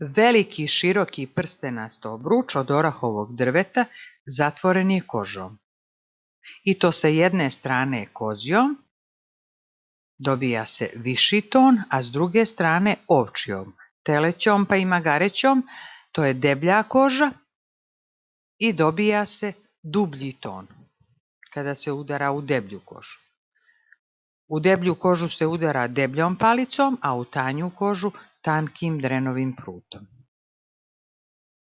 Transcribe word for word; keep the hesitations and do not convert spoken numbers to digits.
Veliki široki prstenast obruč od orahovog drveta zatvoren je kožom. I to sa jedne strane kozjom, dobija se viši ton, a s druge strane ovčjom, telećom pa i magarećom, to je deblja koža i dobija se dublji ton kada se udara u deblju kožu. U deblju kožu se udara debljom palicom, a u tanju kožu tankim drenovim prutom.